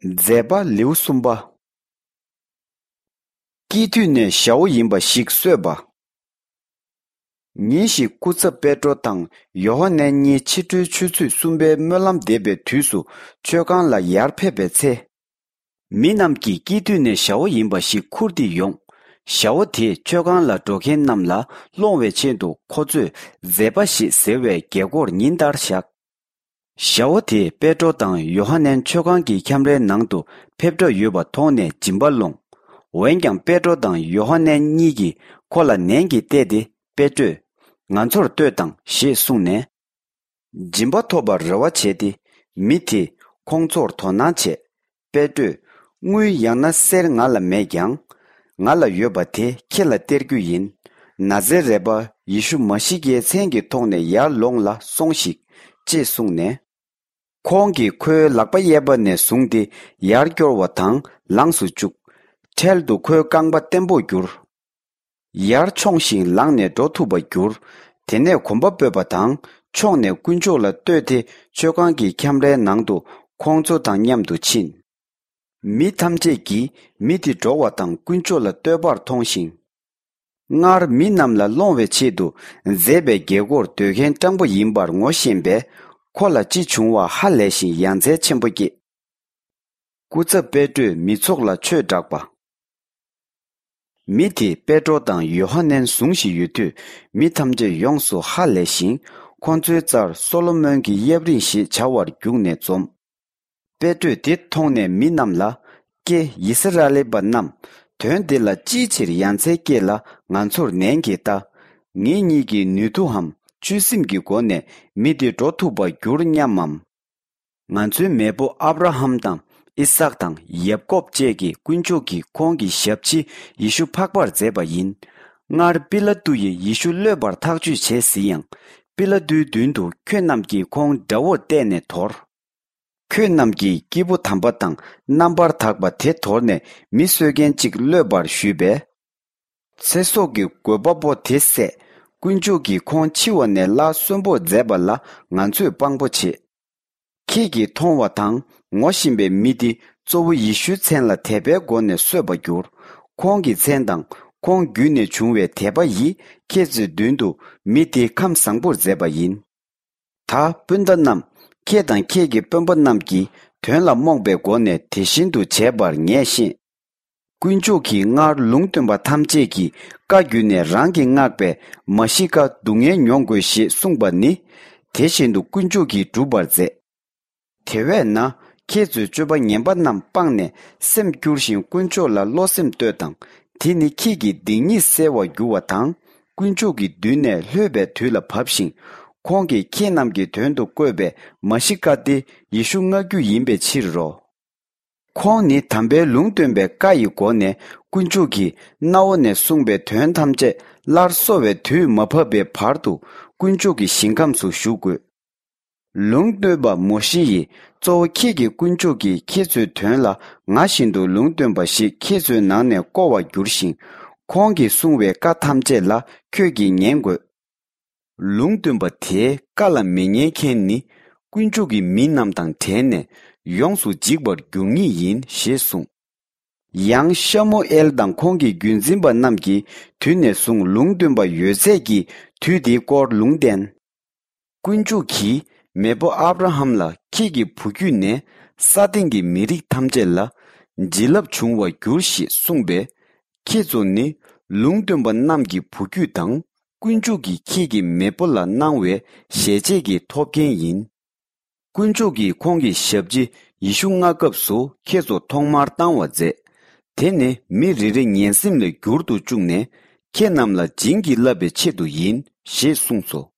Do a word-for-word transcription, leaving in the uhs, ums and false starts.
མཛད་པ་ལེའུ་གསུམ་པ། སྐྱེས་དུས་ནས་ཞའོ་ཡིན་པ་ཞིག་གསོས་པ། ཉིན་ཞིག་སྐུ་ཚབ་པེ་ཏྲོ་དང་ཡོ་ཧ་ནན་གཉིས་ཕྱི་དྲོའི་ཆུ་ཚོད་གསུམ་པའི་སྨོན་ལམ་འདེབས་པའི་དུས་སུ་མཆོད་ཁང་ལ་ཡར་ཕེབས་པའི་ཚེ། མི་རྣམས་ཀྱིས་སྐྱེས་དུས་ནས་ཞའོ་ཡིན་པ་ཞིག་ཁུར་ཏེ་ཡོང་། ཞའོ་དེས་མཆོད་ཁང་ལ་འགྲོ་མཁན་རྣམས་ལ་སློང་བའི་ཆེད་དུ་ཁོ་ཚོས་མཛད་པ་ཞེས་ཟེར་བའི་རྒྱལ་སྒོར་ཉིན་ལྟར་བཞག། ཞའོ་དེས་པེ་ཏྲོ་དང་ཡོ་ཧ་ནན་མཆོད་ཁང་གི་ཁྱམས་རའི་ནང་དུ་ཕེབས་འགྲོ་ཡོད་པ་མཐོང་ནས་སྦྱིན་པ་སློང་། འོན་ཀྱང་པེ་ཏྲོ་དང་ཡོ་ཧ་ནན་གཉིས་ཀྱིས་ཁོ་ལ་ནན་གྱིས་བལྟས་ཏེ། པེ་ཏྲོས། ང་ཚོར་ལྟོས་དང་ཞེས་གསུངས་ནས། སྦྱིན་པ་ཐོབ་པར་རེ་བ་བྱས་ཏེ། མི་དེས་ཁོང་ཚོར་དོ་སྣང་བྱས། པེ་ཏྲོས། དངུལ་ཡང་ན་གསེར་ང་ལ་མེད་ཀྱང་། ང་ལ་ཡོད་པ་དེ་ཁྱེད་ལ་སྟེར་རྒྱུ་ཡིན། ན་ཛེ་རེད་པ་ཡེ་ཤུ་མ་ཤི་ཀའི་མཚན་གྱི་ཐོག་ནས་ཡར་ལོངས་ལ་སོང་ཞིག་ཅེས་གསུངས་ནས། ཁོང་གིས་ཁོའི་ལག་པ་གཡས་པ་ནས་བཟུང་སྟེ་ཡར་སྐྱོར་བ་དང་ལངས་སུ་བཅུག་འཕྲལ་དུ་ཁོའི་རྐང་པ་བརྟན་པོར་གྱུར། ཡར་མཆོངས་ཤིང་ལངས་ནས་འགྲོ་ཐུབ་པར་གྱུར། དེ་ནས་གོམ་པ་སྤོས་པ་དང་མཆོངས་ནས་དཀོན་མཆོག་ལ་བསྟོད་དེ་མཆོད་ཁང་གི་ཁྱམས་རའི་ནང་དུ་ཁོང་ཚོ་དང་མཉམ་དུ་ཕྱིན། མི་ཐམས་ཅད་ཀྱིས་མི་དེ་འགྲོ་བ་དང་དཀོན་མཆོག་ལ་བསྟོད་པར་མཐོང་ཞིང་། སྔར་མི་རྣམས་ལ་སློང་བའི་ཆེད་དུ་མཛད་པའི་རྒྱལ་སྒོར་སྡོད་མཁན་སྤྲང་པོ་ཡིན་པར་ངོ་ཤེས་པས། ཁོ་ལ་ཅི་བྱུང་བ་ཧ་ལས་ཤིང་ཡ་མཚན་ཆེན་པོ་སྐྱེས། སྐུ་ཚབ་པེ་ཏྲོས་མི་ཚོགས་ལ་ཆོས་བསྒྲགས་པ། མི་དེས་པེ་ཏྲོ་དང་ཡོ་ཧ་ནན་བཟུང་བཞིན་ཡོད་དུས། མི་ཐམས་ཅད་ཡོངས་སུ་ཧ་ལས་ཤིང་། ཁོ་ཚོའི་རྩར་སོ་ལོ་མོན་གྱི་གཡབ་རིང་ཞེས་བྱ་བར་བརྒྱུགས་ནས་འཛོམས། པེ་ཏྲོས་དེ་མཐོང་ནས་མི་རྣམས་ལ། ཀྱེ་ཡི་སི་ར་ཨེལ་པ་རྣམས། དོན་འདི་ལ་ཅིའི་ཕྱིར་ཡ་མཚན་སྐྱེས་ལ་ང་ཚོར་ནན་གྱིས་ལྟ། ངེད་གཉིས་ཀྱིས་ནུས་མཐུ་འམ་བཅུད་སེམས་ཀྱི་སྒོ་ནས་མི་འདི་འགྲོ་ཐུབ་པར་འགྱུར་སྙམ་མམ། ང་ཚོའི་མེས་པོ་ཨབ་ར་ཧམ་དང་ཨི་སཱག་དང་ཡབ་ཀོབ་བཅས་ཀྱི་དཀོན་མཆོག་གིས་ཁོང་གི་ཞབས་ཕྱི་ཡེ་ཤུ་འཕགས་པར་མཛད་པ་ཡིན། སྔར་པི་ལ་ཏུ་ཡིས་ཡེ་ཤུ་གློད་པར་ཐག་གཅོད་བྱས་ཟིན་ཡང་། པི་ལ་ཏུའི་མདུན་དུ་ཁྱོད་རྣམས་ཀྱིས་ཁོང་དགྲ་བོར་གཏད་ནས་དོར། ཁྱོད་རྣམས་ཀྱིས་སྐྱེས་བུ་དམ་པ་དང་རྣམ་པར་དག་པ་དེ་དོར་ནས་མི་གསོད་མཁན་ཅིག་གློད་པར་ཞུས་པས། ཚེ་སྲོག་གི་དགོས་པ་པོ་དེ་བསད། དཀོན་མཆོག་གིས་ཁོང་འཆི་བ་ནས་སླར་གསོན་པོར་མཛད་པ་ལ་ང་ཚོས་དཔང་པོ་བྱེད། ཁྱེད་ཀྱིས་མཐོང་བ་དང་ངོ་ཤེས་པའི་མི་དེ་གཙོ་བོ་ཡེ་ཤུའི་མཚན་ལ་དད་པའི་སྒོ་ནས་གསོས་པར་གྱུར། ཁོང་གི་མཚན་དང་ཁོང་བརྒྱུད་ནས་བྱུང་བའི་དད་པ་ཡིས་ཁྱེད་ཚོའི་མདུན་དུ་མི་དེ་ཁམས་བཟང་པོར་མཛད་པ་ཡིན། ད་སྤུན་ཟླ་རྣམས། ཁྱེད་དང་ཁྱེད་ཀྱི་སྤུན་པ་རྣམས་ཀྱིས་དོན་ལ་རྨོངས་པའི་སྒོ་ནས་དེ་བཞིན་དུ་བྱས་པར་ངས་ཤེས། དཀོན་མཆོག་གིས་སྔར་ལུང་སྟོན་པ་ཐམས་ཅད་ཀྱི་བཀའ་བརྒྱུད་ནས་རང་གིས་མངགས་པའི་མ་ཤི་ཀ་སྡུག་བསྔལ་མྱོང་དགོས་ཞེས་གསུངས་པ་ནི། དེ་བཞིན་དུ་དཀོན་མཆོག་གིས་འགྲུབ་པར་མཛད། དེ་བས་ན་ཁྱེད་ཚོས་སྤྱོད་པ་ངན་པ་རྣམས་སྤངས་ནས་སེམས་བསྒྱུར་ཞིང་དཀོན་མཆོག་ལ་བློ་སེམས་གཏོད་དང་། དེ་ནི་ཁྱེད་ཀྱི་སྡིག་ཉེས་སེལ་བར་འགྱུར་བ་དང་། དཀོན་མཆོག་གི་མདུན་ནས་ལྷོད་པའི་དུས་ལ་བབས་ཤིང་། ཁོང་གིས་ཁྱེད་རྣམས་ཀྱི་དོན་དུ་བསྐོས་པའི་མ་ཤི་ཀ་སྟེ་ཡེ་ཤུ་མངགས་རྒྱུ་ཡིན་པའི་ཕྱིར་རོ། ཁོང་ནི་དམ་པའི་ལུང་སྟོན་པའི་བཀའ་ཡི་སྒོ་ནས་དཀོན་མཆོག་གིས་རྣ་བ་ནས་གསུངས་པའི་དོན་ཐམས་ཅད་སླར་གསོ་བའི་དུས་མ་བབས་པའི་བར་དུ་དཀོན་མཆོག་གི་ཞིང་ཁམས་སུ་བཞུགས་དགོས། ལུང་སྟོན་པ་མོ་ཤེ་ཡིས་གཙོ་བོ་ཁྱེད་ཀྱི་དཀོན་མཆོག་གིས་ཁྱེད་ཚོའི་དོན་ལ་ང་བཞིན་དུ་ལུང་སྟོན་པ་ཞིག་ཁྱེད་ཚོའི་ནང་ནས་བསྐོ་བར་འགྱུར་ཞིང་། ཁོང་གིས་གསུངས་པའི་བཀའ་ཐམས་ཅད་ལ་ཁྱོད་ཀྱིས་ཉན་དགོས། ལུང་སྟོན་པ་དེའི་བཀའ་ལ་མི་ཉན་མཁན་ནི་དཀོན་མཆོག་གི་མི་རྣམས་དང་བྲལ་ནས་ཡོངས་སུ་འཇིག་པར་འགྱུར་ངེས་ཡིན་ཞེས་གསུངས། ཡང་ཤ་མུ་ཨེལ་དང་ཁོང་གི་རྒྱུད་འཛིན་པ་རྣམས་ཀྱིས་དུས་ནས་བཟུང་ལུང་སྟོན་པ་ཡོད་ཚད་ཀྱིས་དུས་དེའི་སྐོར་ལུང་བསྟན། དཀོན་མཆོག་གིས་མེས་པོ་ཨབ་ར་ཧམ་ལ་ཁྱེད་ཀྱི་བུ་རྒྱུད་ནས་ས་སྟེང་གི་མི་རིགས་ཐམས་ཅད་ལ་བྱིན་རླབས་འབྱུང་བར་འགྱུར་ཞེས་གསུངས་པས། ཁྱེད་ཚོ་ནི་ལུང་སྟོན་པ་རྣམས་ཀྱི་བུ་རྒྱུད་དང་། དཀོན་མཆོག་གིས་ཁྱེད་ཀྱི་མེས་པོ་ལ་གནང་བའི་ཞལ་ཆད་ཀྱི་ཐོབ་མཁན་ཡིན། དཀོན་མཆོག་གིས་ཁོང་གི་ཞབས་ཕྱི་ཡེ་ཤུ་མངགས་སྐབས་སུ་ཁྱེད་ཚོ་ཐོག་མར་བཏང་བ་མཛད། དེ་ནི་མི་རེ་རེ་ངན་སེམས་ལས་འགྱུར་དུ་བཅུག་ནས་ཁྱེད་རྣམས་ལ་བྱིན་གྱིས་བརླབས་པའི་ཆེད་དུ་ཡིན་ཞེས་གསུངས་སོ།